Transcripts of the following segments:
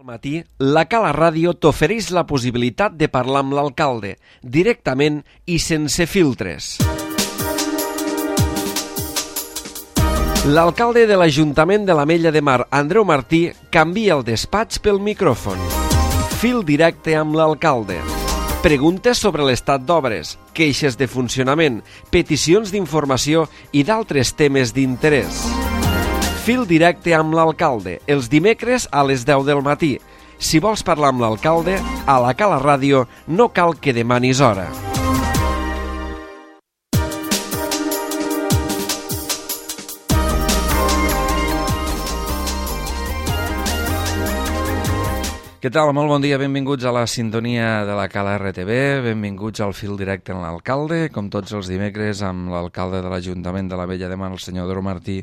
Al matí, la Cala Ràdio t'ofereix la possibilitat de parlar amb l'alcalde, directament i sense filtres. L'alcalde de l'Ajuntament de l'Ametlla de Mar, Andreu Martí, canvia el despatx pel micròfon. Fil directe amb l'alcalde. Preguntes sobre l'estat d'obres, queixes de funcionament, peticions d'informació i d'altres temes d'interès. Fil directe amb l'alcalde, els dimecres a les 10 del matí. Si vols parlar amb l'alcalde, a la Cala Ràdio no cal que demanis hora. Què tal? Molt bon dia, benvinguts a la sintonia de la Cala RTV, benvinguts al Fil Directe amb l'alcalde, com tots els dimecres amb l'alcalde de l'Ajuntament de l'Ametlla de Mar, el senyor Andreu Martí.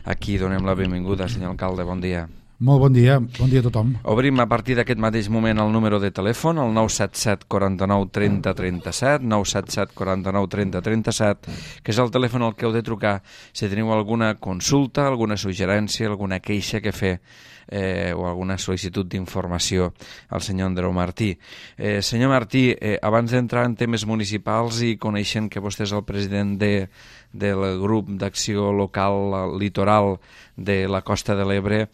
Aquí donem la benvinguda, senyor alcalde, bon dia. Molt bon dia a tothom. Obrim a partir d'aquest mateix moment el número de telèfon, el 977 49 30 37, 977 49 30 37, que és el telèfon al que heu de trucar si teniu alguna consulta, alguna suggerència, alguna queixa que fer o alguna sol·licitud d'informació al senyor Andreu Martí. Senyor Martí, abans d'entrar en temes municipals i coneixent que vostè és el president del grup d'acció local litoral de la Costa de l'Ebre,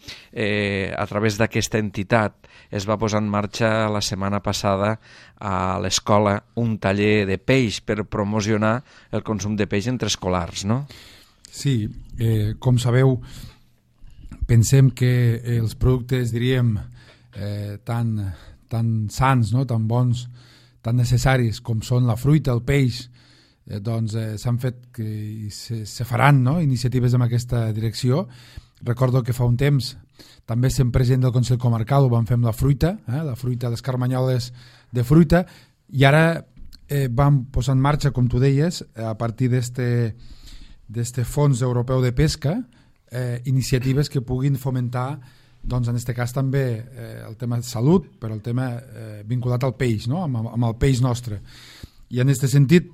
a través d'aquesta entitat es va posar en marxa la setmana passada a l'escola un taller de peix per promocionar el consum de peix entre escolars, no? Sí, com sabeu, pensem que els productes, diríem, tan sants, no? Tan bons, tan necessaris com són la fruita, el peix, doncs s'han fet i se faran, no? Iniciatives en aquesta direcció. Recordo que fa un temps també sent president del Consell Comarcal ho vam fer amb la fruita, les carmanyoles de fruita, i ara vam posar en marxa, com tu deies, a partir d'este fons europeu de pesca, iniciatives que puguin fomentar, doncs en aquest cas també el tema de salut, però el tema vinculat al peix, no? amb el peix nostre. I en aquest sentit,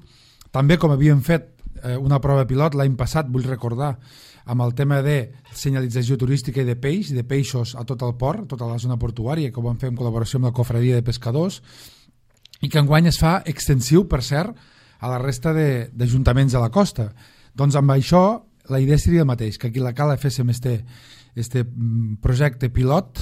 també com havíem fet una prova pilot l'any passat, vull recordar, amb el tema de senyalització turística i de peixos a tot el port, a tota la zona portuària, que ho vam fer en col·laboració amb la Cofradia de Pescadors, i que enguany es fa extensiu, per cert, a la resta d'ajuntaments de la costa. Doncs amb això la idea seria el mateix, que aquí a la Cala féssim este projecte pilot,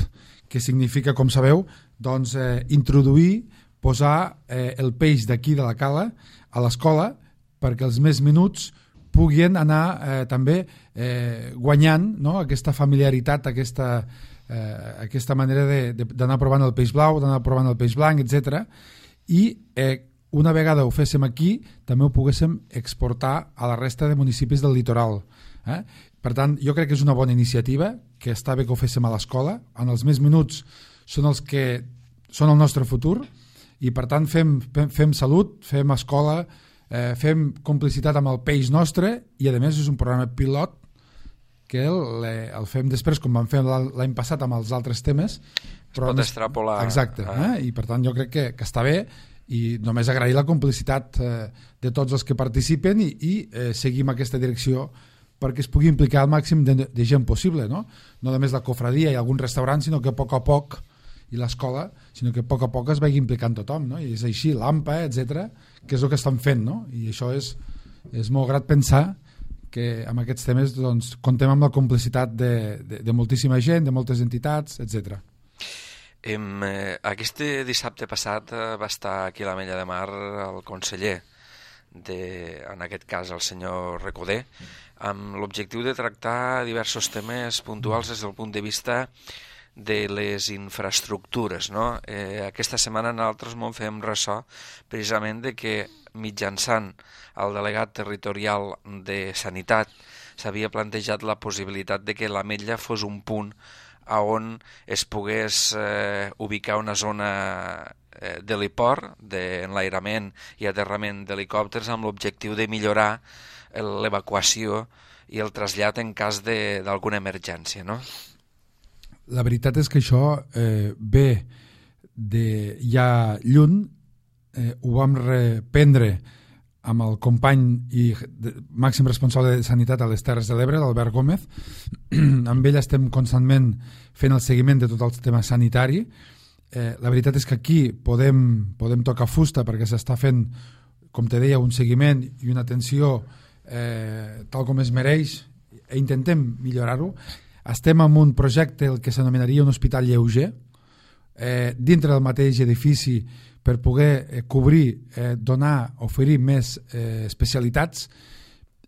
que significa, com sabeu, doncs, introduir, posar el peix d'aquí de la Cala a l'escola perquè els més minuts puguin anar també guanyant, no? Aquesta familiaritat, aquesta manera d'anar provant el peix blau, d'anar provant el peix blanc, etc. I una vegada ho féssim aquí, també ho poguéssim exportar a la resta de municipis del litoral. Per tant, jo crec que és una bona iniciativa, que està bé que ho féssim a l'escola. En els més minuts són els que són el nostre futur, i per tant fem salut, fem escola, fem complicitat amb el peix nostre, i a més és un programa pilot que el fem després, com vam fer l'any passat amb els altres temes. Però es pot extrapolar. Exacte, i per tant jo crec que està bé, i només agrair la complicitat de tots els que participen i seguim aquesta direcció perquè es pugui implicar el màxim de gent possible, no només la cofradia i algun restaurant, sinó que a poc, i l'escola, sinó que a poc es vagi implicant tothom, no? I és així, l'AMPA, etc, que és el que estan fent, no? I això és molt grat pensar que amb aquests temes doncs, contem amb la complicitat de moltíssima gent, de moltes entitats, etc. Aquest dissabte passat va estar aquí a l'Ametlla de Mar el conseller, en aquest cas el senyor Recoder, amb l'objectiu de tractar diversos temes puntuals des del punt de vista de les infraestructures, no? Aquesta setmana nosaltres ens fem ressò precisament de que mitjançant el delegat territorial de Sanitat s'havia plantejat la possibilitat de que l'Ametlla fos un punt on es pogués ubicar una zona d'heliport, d'enlairament i aterrament d'helicòpters, amb l'objectiu de millorar l'evacuació i el trasllat en cas d'alguna emergència, no? La veritat és que això ve de ja lluny, ho vam reprendre amb el company i màxim responsable de Sanitat a les Terres de l'Ebre, l'Albert Gómez. Amb ell estem constantment fent el seguiment de tot el tema sanitari. La veritat és que aquí podem tocar fusta perquè s'està fent, com te deia, un seguiment i una atenció tal com es mereix, i intentem millorar-ho. Estem en un projecte el que s'anomenaria un hospital lleuger dintre del mateix edifici per poder cobrir, donar, oferir més especialitats,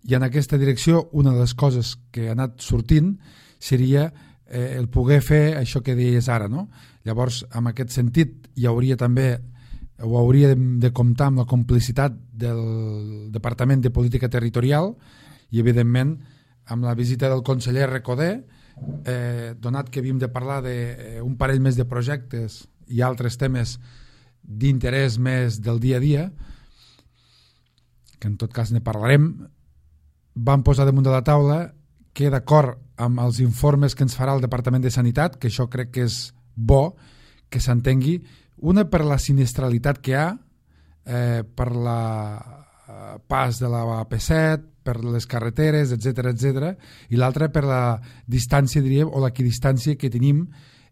i en aquesta direcció una de les coses que ha anat sortint seria el poder fer això que deies ara, no? Llavors, en aquest sentit, hi hauria també o hauria de comptar amb la complicitat del Departament de Política Territorial i, evidentment, amb la visita del conseller Recoder, donat que havíem de parlar d'un parell més de projectes i altres temes d'interès més del dia a dia, que en tot cas ne parlarem, vam posar damunt de la taula que, d'acord amb els informes que ens farà el Departament de Sanitat, que això crec que és bo que s'entengui, una per la sinistralitat que hi ha, per la pas de la AP7, per les carreteres, etc, i l'altra per la distància, diríem, o l'equidistància que tenim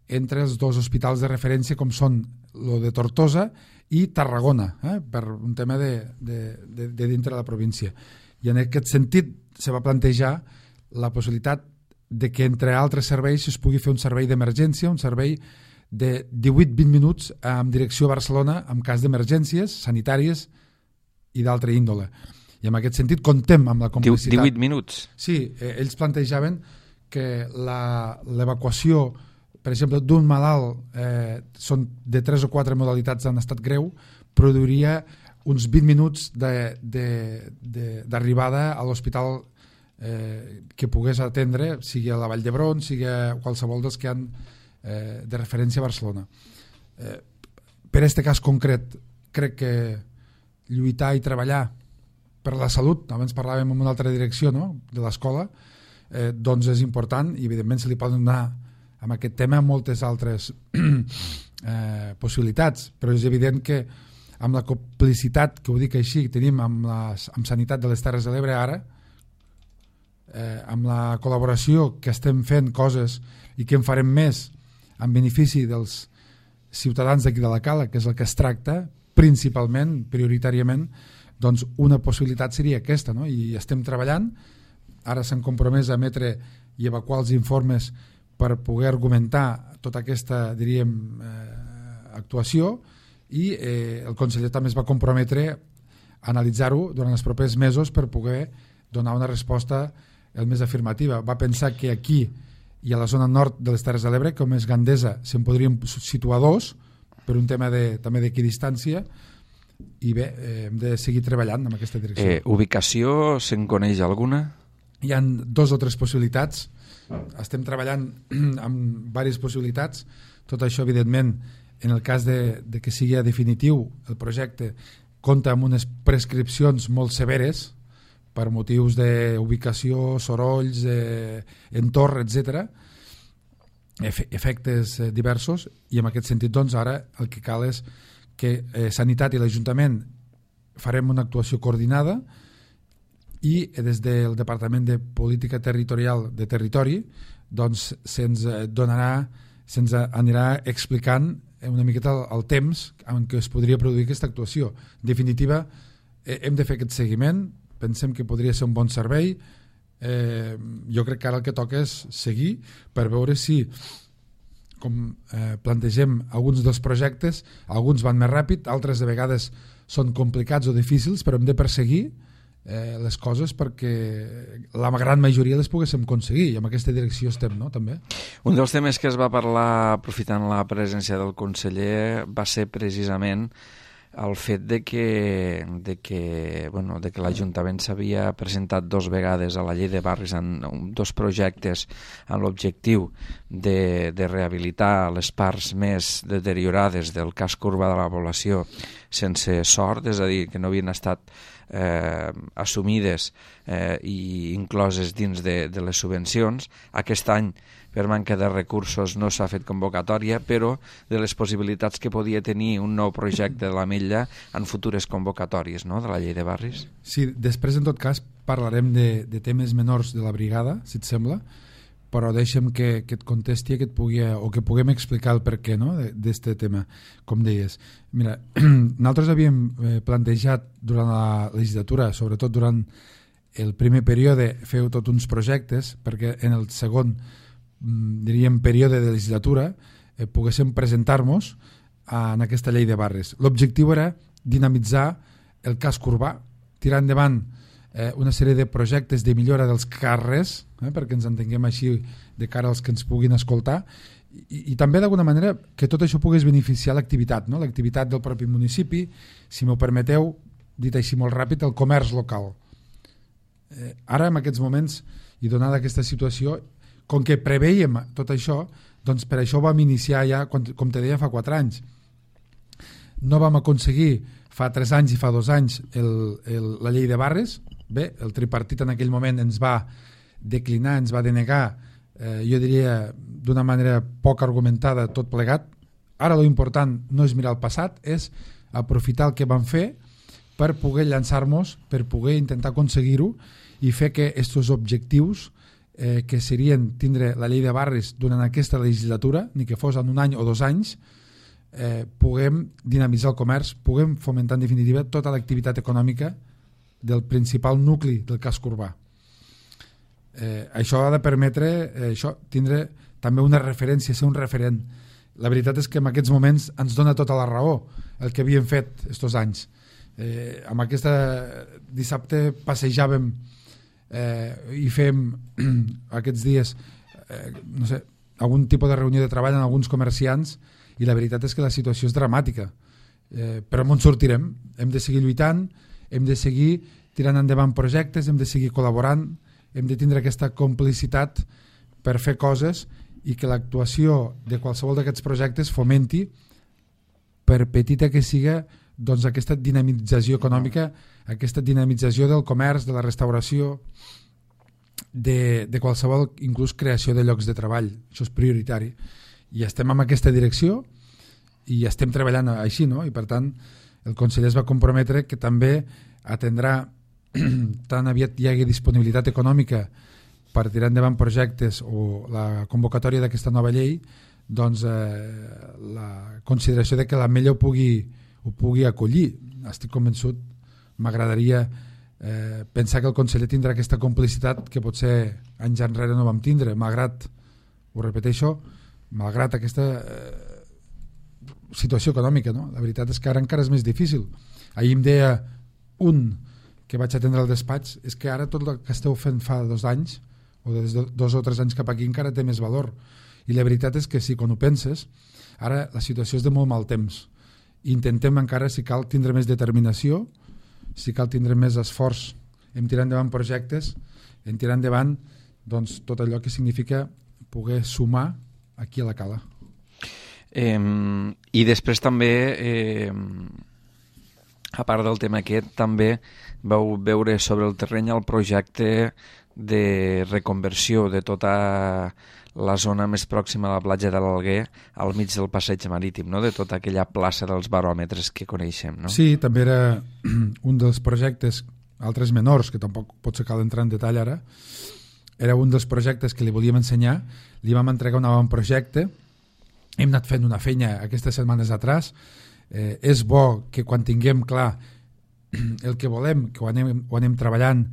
entre els dos hospitals de referència, com són el de Tortosa i Tarragona, per un tema de dintre de la província. I en aquest sentit se va plantejar la possibilitat de que entre altres serveis es pugui fer un servei d'emergència, un servei de 18-20 minuts en direcció a Barcelona en cas d'emergències sanitàries i d'altra índole. I en aquest sentit contem amb la complicitat. 18 minuts? Sí, ells plantejaven que l'evacuació, per exemple, d'un malalt, són de 3 o 4 modalitats en estat greu, produiria uns 20 minuts d'arribada a l'hospital que pogués atendre, sigui a la Vall d'Hebron, sigui a qualsevol dels que han de referència a Barcelona. Per aquest cas concret, crec que lluitar i treballar per la salut, abans parlàvem en una altra direcció, no?, de l'escola, doncs és important, i evidentment se li poden donar amb aquest tema moltes altres possibilitats, però és evident que amb la complicitat, que ho dic així, que tenim amb Sanitat de les Terres de l'Ebre ara, amb la col·laboració que estem fent coses i que en farem més en benefici dels ciutadans d'aquí de la Cala, que és el que es tracta principalment, prioritàriament, doncs una possibilitat seria aquesta, no? I estem treballant, ara s'han compromès a emetre i evacuar els informes per poder argumentar tota aquesta, diríem, actuació, i el conseller també es va comprometre a analitzar-ho durant els propers mesos per poder donar una resposta el més afirmativa. Va pensar que aquí i a la zona nord de les Terres de l'Ebre, com és Gandesa, se'n podrien situar 2 per un tema també d'equidistància, i bé, hem de seguir treballant en aquesta direcció. Ubicació, se'n coneix alguna? Hi ha 2 o 3 possibilitats, estem treballant amb diverses possibilitats. Tot això, evidentment, en el cas de que sigui definitiu el projecte, compta amb unes prescripcions molt severes per motius d'ubicació, sorolls, entorn, etc, efectes diversos, i en aquest sentit, doncs, ara el que cal és que Sanitat i l'Ajuntament farem una actuació coordinada, i des del Departament de Política Territorial de Territori, doncs se'ns anirà explicant una miqueta el temps en què es podria produir aquesta actuació. En definitiva, hem de fer aquest seguiment, pensem que podria ser un bon servei. Jo crec que ara el que toca és seguir per veure si, com plantegem alguns dels projectes, alguns van més ràpid, altres de vegades són complicats o difícils, però hem de perseguir les coses perquè la gran majoria les poguéssim aconseguir, i en aquesta direcció estem, no?, també. Un dels temes que es va parlar aprofitant la presència del conseller va ser precisament el fet de que l'Ajuntament s'havia presentat 2 vegades a la llei de barris en 2 projectes amb l'objectiu de rehabilitar les parts més deteriorades del casc urbà de la població sense sort, és a dir, que no havien estat assumides i incloses dins de les subvencions. Aquest any, per manca de recursos, no s'ha fet convocatòria, però de les possibilitats que podia tenir un nou projecte de l'Ametlla en futures convocatòries, no?, de la llei de barris. Sí, després, en tot cas, parlarem de temes menors de la brigada, si et sembla, però deixa'm que et contesti que puguem explicar el perquè, no?, d'aquest tema, com deies. Mira, nosaltres havíem plantejat durant la legislatura, sobretot durant el primer període, fer tots uns projectes perquè en el segon, diríem, període de legislatura poguéssim presentar-nos en aquesta llei de barris. L'objectiu era dinamitzar el casc urbà, tirar endavant una sèrie de projectes de millora dels carrers, perquè ens entenguem així de cara als que ens puguin escoltar, i també d'alguna manera que tot això pogués beneficiar l'activitat, no? L'activitat del propi municipi, si m'ho permeteu, dit així molt ràpid, el comerç local. Ara, en aquests moments, i donada aquesta situació, com que preveiem tot això, doncs per això vam iniciar ja, com te deia, fa 4 anys. No vam aconseguir fa 3 anys i fa 2 anys la llei de barris. Bé, el tripartit en aquell moment ens va declinar, ens va denegar, jo diria d'una manera poc argumentada, tot plegat. Ara lo important no és mirar el passat, és aprofitar el que vam fer per poder llançar-nos, per poder intentar aconseguir-ho i fer que aquests objectius que serien tindre la llei de barris durant aquesta legislatura, ni que fos en 1 any o 2 anys, puguem dinamitzar el comerç, puguem fomentar en definitiva tota l'activitat econòmica del principal nucli del casc urbà. Això ha de permetre tindre també una referència, ser un referent. La veritat és que en aquests moments ens dona tota la raó el que havíem fet aquests anys. Amb aquesta dissabte passejàvem i fem aquests dies no sé, algun tipus de reunió de treball amb alguns comerciants i la veritat és que la situació és dramàtica, però on sortirem? Hem de seguir lluitant, hem de seguir tirant endavant projectes, hem de seguir col·laborant, hem de tindre aquesta complicitat per fer coses i que l'actuació de qualsevol d'aquests projectes fomenti, per petita que siga, doncs aquesta dinamització econòmica, aquesta dinamització del comerç, de la restauració, de qualsevol inclús creació de llocs de treball. Això és prioritari. I estem en aquesta direcció i estem treballant així, no? I per tant el conseller es va comprometre que també atendrà tan aviat hi hagi disponibilitat econòmica per tirar endavant projectes o la convocatòria d'aquesta nova llei, doncs la consideració de que l'Ametlla ho pugui acollir. Estic convençut, m'agradaria pensar que el conseller tindrà aquesta complicitat que potser anys enrere no vam tindre, malgrat, ho repeteixo, malgrat aquesta situació econòmica, no? La veritat és que ara encara és més difícil. Ahir em deia un que vaig atendre al despatx, és que ara tot el que esteu fent fa 2 anys o des de 2 o 3 anys cap aquí encara té més valor. I la veritat és que sí, quan ho penses, ara la situació és de molt mal temps. Intentem encara, si cal, tindre més determinació, si cal tindre més esforç en tirar endavant projectes, en tirar endavant doncs, tot allò que significa poder sumar aquí a la cala. I després també, a part del tema aquest, també vau veure sobre el terreny el projecte de reconversió de tota la zona més pròxima a la platja de l'Alguer al mig del passeig marítim, no? De tota aquella plaça dels baròmetres que coneixem, no? Sí, també era un dels projectes, altres menors, que tampoc potser cal entrar en detall ara, era un dels projectes que li volíem ensenyar, li vam entregar un avantprojecte, hem anat fent una feina aquestes setmanes atrás, és bo que quan tinguem clar el que volem, que ho anem treballant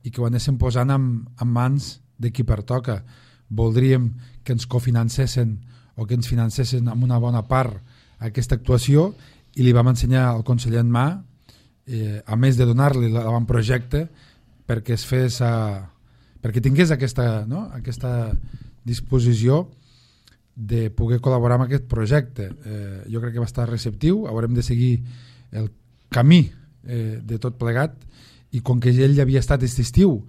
i que ho anéssim posant en mans de qui pertoca. Voldríem que ens cofinancessin o que ens financessin amb una bona part aquesta actuació i li vam ensenyar al conseller en mà, a més de donar-li l'avantprojecte, perquè es fes perquè tingués aquesta disposició de poder col·laborar amb aquest projecte. Jo crec que va estar receptiu, haurem de seguir el camí de tot plegat i com que ell havia estat aquest estiu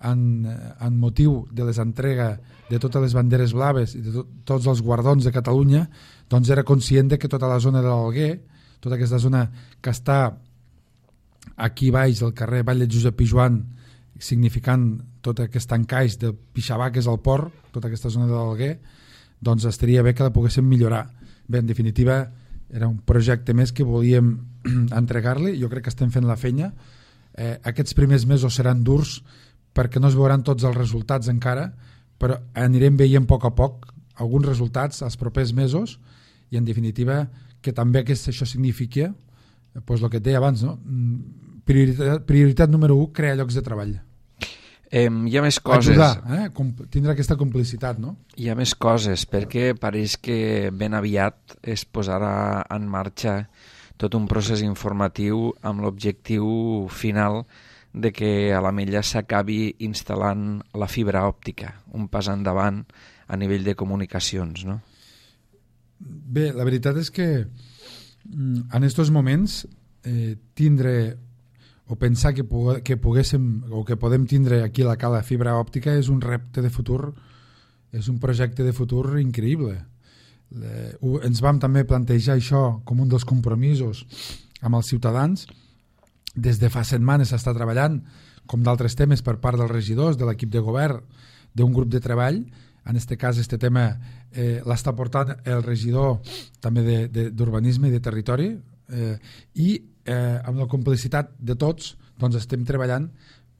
en motiu de les entrega de totes les banderes blaves i de tots els guardons de Catalunya, doncs era conscient de que tota la zona de l'Alguer, tota aquesta zona que està aquí baix del carrer Vall de Josep Pijuan, significant tot aquest encaix de Pixabà, que és el port, tota aquesta zona de l'Alguer, doncs estaria bé que la poguéssim millorar. Bé, en definitiva, era un projecte més que volíem entregar-li. Jo crec que estem fent la feina. Aquests primers mesos seran durs perquè no es veuran tots els resultats encara, però anirem veient a poc alguns resultats els propers mesos i en definitiva que també això significa doncs el que et deia abans, no? Prioritat número 1, crear llocs de treball. Hi ha més coses. Ajudar, tindre aquesta complicitat, no? Hi ha més coses, perquè pareix que ben aviat es posarà en marxa tot un procés informatiu amb l'objectiu final de que a l'Ametlla s'acabi instal·lant la fibra òptica, un pas endavant a nivell de comunicacions, no? Bé, la veritat és que en aquests moments tindre o pensar que poguéssim o que podem tindre aquí la cala fibra òptica és un repte de futur, és un projecte de futur increïble. Ens vam també plantejar això com un dels compromisos amb els ciutadans. Des de fa setmanes s'està treballant, com d'altres temes, per part dels regidors, de l'equip de govern, d'un grup de treball. En aquest cas, aquest tema l'està portant el regidor també d'Urbanisme i de Territori i amb la complicitat de tots doncs estem treballant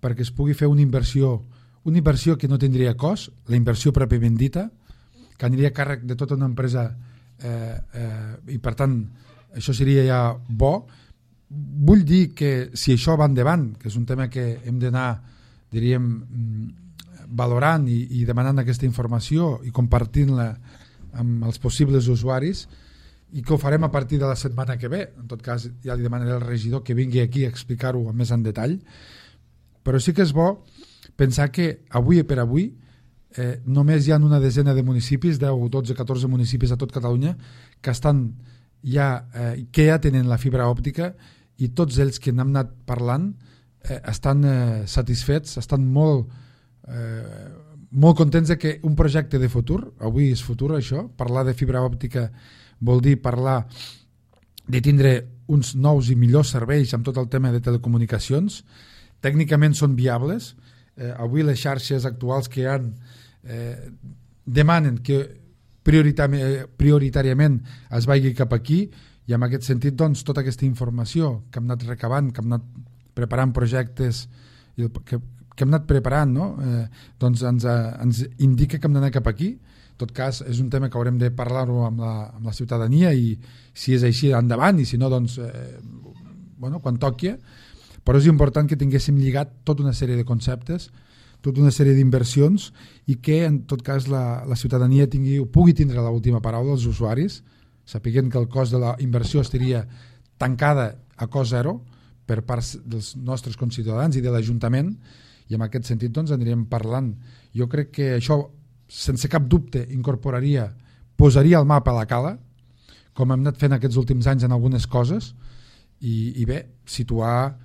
perquè es pugui fer una inversió que no tindria cost, la inversió pròpiament dita, que aniria a càrrec de tota una empresa i per tant això seria ja bo. Vull dir que si això va endavant, que és un tema que hem d'anar, diríem, valorant i demanant aquesta informació i compartint-la amb els possibles usuaris, i que ho farem a partir de la setmana que ve. En tot cas, ja li demanaré al regidor que vingui aquí a explicar-ho més en detall. Però sí que és bo pensar que avui per avui només hi ha una desena de municipis, 10, 12, 14 municipis a tot Catalunya, que estan que ja tenen la fibra òptica i tots ells que n'hem anat parlant estan satisfets, estan molt contents de que un projecte de futur, avui és futur això, parlar de fibra òptica vol dir parlar de tindre uns nous i millors serveis amb tot el tema de telecomunicacions. Tècnicament són viables. Avui les xarxes actuals que hi ha demanen que prioritàriament es vagi cap aquí i en aquest sentit doncs, tota aquesta informació que hem anat recabant, que hem anat preparant projectes que hem anat preparant, no? Doncs ens indica que hem d'anar cap aquí. En tot cas, és un tema que haurem de parlar-ho amb la ciutadania i si és així, endavant, i si no, doncs, quan toqui. Però és important que tinguéssim lligat tota una sèrie de conceptes, tota una sèrie d'inversions i que, en tot cas, la ciutadania pugui tindre l'última paraula, els usuaris, sapiguent que el cost de la inversió estaria tancada a cost zero per part dels nostres conciutadans i de l'Ajuntament, i en aquest sentit doncs, anirem parlant. Jo crec que això sense cap dubte posaria el mapa a la cala, com hem anat fent aquests últims anys en algunes coses, i bé, situar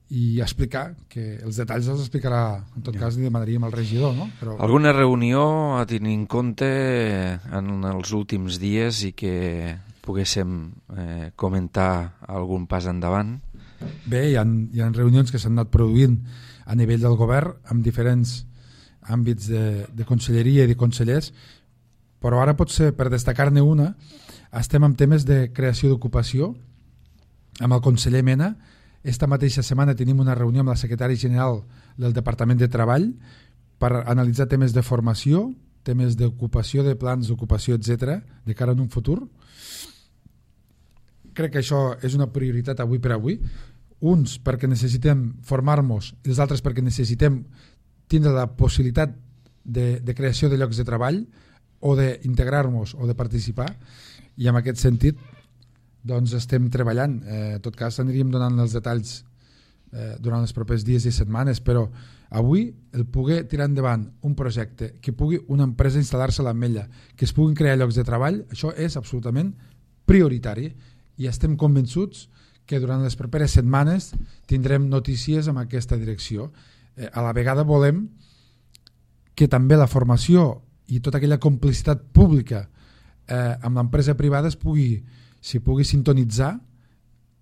i explicar, que els detalls els explicarà, en tot cas li demanaríem al regidor, no? Però... Alguna reunió a tenir en compte en els últims dies i que poguéssim comentar algun pas endavant? Bé, hi ha reunions que s'han anat produint a nivell del govern amb diferents àmbits de conselleria i de consellers, però ara potser per destacar-ne una estem en temes de creació d'ocupació amb el conseller Mena. Esta mateixa setmana tenim una reunió amb la secretària general del Departament de Treball per analitzar temes de formació, temes d'ocupació, de plans d'ocupació, etc., de cara a un futur. Crec que això és una prioritat avui per avui. Uns perquè necessitem formar-nos i els altres perquè necessitem tindre la possibilitat de creació de llocs de treball o d'integrar-nos o de participar, i en aquest sentit doncs estem treballant. En tot cas aniríem donant els detalls durant els propers dies i setmanes, però avui el poder tirar endavant un projecte, que pugui una empresa instal·lar-se a l'Ametlla, que es puguin crear llocs de treball, això és absolutament prioritari i estem convençuts que durant les properes setmanes tindrem notícies en aquesta direcció. A la vegada volem que també la formació i tota aquella complicitat pública amb l'empresa privada s'hi pugui sintonitzar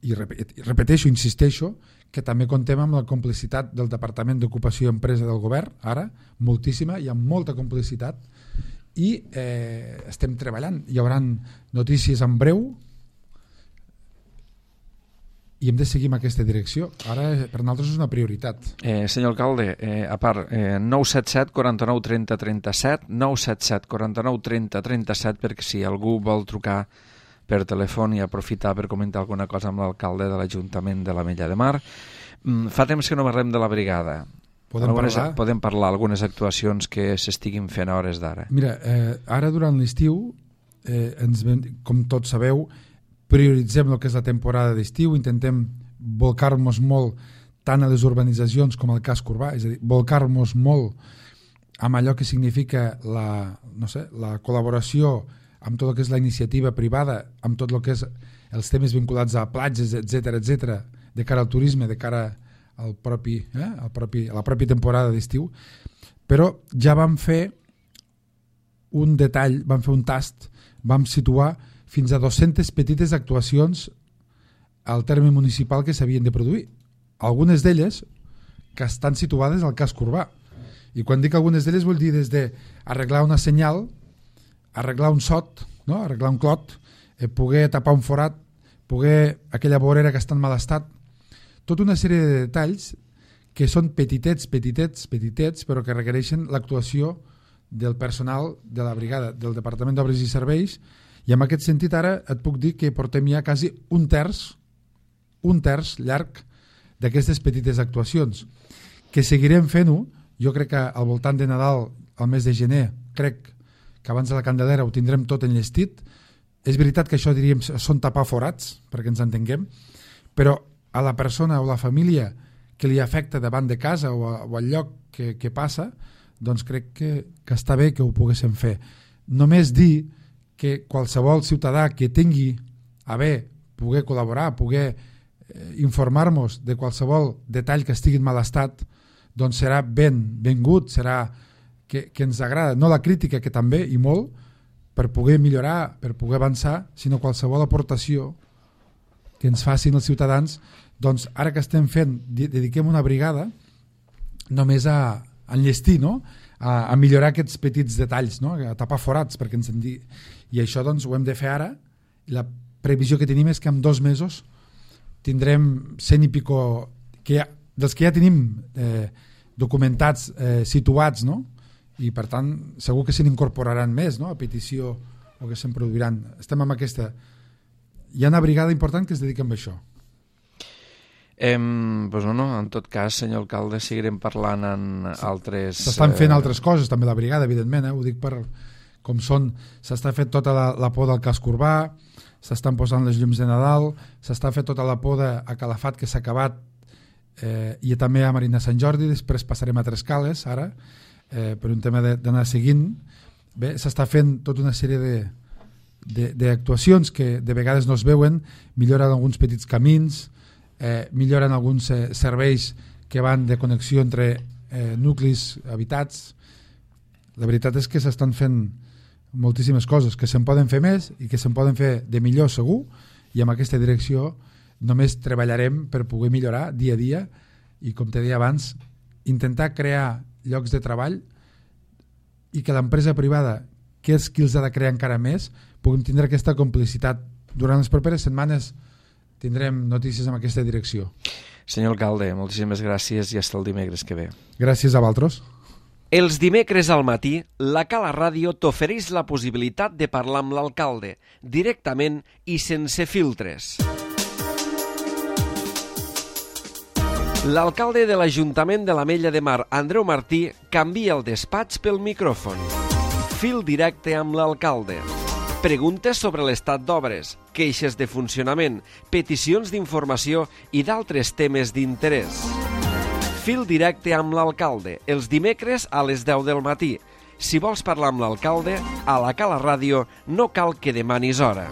i repeteixo, insisteixo, que també contem amb la complicitat del Departament d'Ocupació i Empresa del Govern, ara, moltíssima, hi ha molta complicitat, i estem treballant. Hi haurà notícies en breu i hem de seguir en aquesta direcció. Ara per nosaltres és una prioritat. Senyor alcalde, a part, 977 49 30 37, 977 49 30 37, perquè si algú vol trucar per telèfon i aprofitar per comentar alguna cosa amb l'alcalde de l'Ajuntament de l'Ametlla de Mar. Fa temps que no parlem de la brigada. Podem parlar algunes actuacions que s'estiguin fent a hores d'ara. Mira, ara durant l'estiu, com tots sabeu, prioritzem el que és la temporada d'estiu, intentem volcar-nos molt tant a les urbanitzacions com al casc urbà, és a dir, volcar-nos molt amb allò que significa la col·laboració amb tot el que és la iniciativa privada, amb tot el que és els temes vinculats a platges, etc, de cara al turisme, de cara a la pròpia temporada d'estiu. Però ja vam fer un detall, vam fer un tast, vam situar fins a 200 petites actuacions al terme municipal que s'havien de produir. Algunes d'elles que estan situades al casc urbà. I quan dic algunes d'elles vull dir des d'arreglar una senyal, arreglar un sot, no? Arreglar un clot, poder tapar un forat, poder aquella vorera que està en mal estat, tota una sèrie de detalls que són petitets, però que requereixen l'actuació del personal de la brigada, del Departament d'Obres i Serveis, i en aquest sentit ara et puc dir que portem ja quasi un terç llarg d'aquestes petites actuacions, que seguirem fent-ho. Jo crec que al voltant de Nadal, al mes de gener, crec que abans de la Candelera ho tindrem tot enllestit. És veritat que això diríem són tapar forats, perquè ens entenguem, però a la persona o la família que li afecta davant de casa o al lloc que passa, doncs crec que està bé que ho poguéssim fer. Només dir que qualsevol ciutadà que tingui a bé poder col·laborar, poder informar-nos de qualsevol detall que estigui en mal estat, doncs serà benvingut, serà que ens agrada, no la crítica, que també i molt, per poder millorar, per poder avançar, sinó qualsevol aportació que ens facin els ciutadans. Doncs ara que estem fent, dediquem una brigada només a enllestir, no? A millorar aquests petits detalls, no? A tapar forats, perquè ens en digui. I això doncs ho hem de fer ara, i la previsió que tenim és que en 2 mesos tindrem 100 i pico dels que ja tenim documentats, situats, no? I per tant segur que se n'incorporaran més, no? A petició, o que se'n produiran. Estem amb aquesta. Hi ha una brigada important que es dedica a això. Pues no, en tot cas, senyor alcalde, seguirem parlant en altres... S'estan fent altres coses, també la brigada, evidentment, ho dic per com són. S'està fent tota la poda del casc urbà, s'estan posant les llums de Nadal, s'està fent tota la poda a Calafat, que s'ha acabat, i també a Marina Sant Jordi. Després passarem a Trescales, ara, per un tema d'anar seguint. Bé, s'està fent tota una sèrie d'actuacions que de vegades no es veuen, milloren alguns petits camins, milloren alguns serveis que van de connexió entre nuclis habitats. La veritat és que s'estan fent moltíssimes coses, que se'n poden fer més i que se'n poden fer de millor segur, i amb aquesta direcció només treballarem per poder millorar dia a dia i, com te deia abans, intentar crear llocs de treball i que l'empresa privada, que és qui els ha de crear encara més, puguem tindre aquesta complicitat. Durant les properes setmanes tindrem notícies en aquesta direcció. Senyor alcalde, moltíssimes gràcies i fins el dimecres que ve. Gràcies a vosaltres. Els dimecres al matí, la Cala Ràdio t'ofereix la possibilitat de parlar amb l'alcalde, directament i sense filtres. L'alcalde de l'Ajuntament de l'Ametlla de Mar, Andreu Martí, canvia el despatx pel micròfon. Fil directe amb l'alcalde. Preguntes sobre l'estat d'obres, queixes de funcionament, peticions d'informació i d'altres temes d'interès. Fil directe amb l'alcalde, els dimecres a les 10 del matí. Si vols parlar amb l'alcalde, a la Cala Ràdio no cal que demanis hora.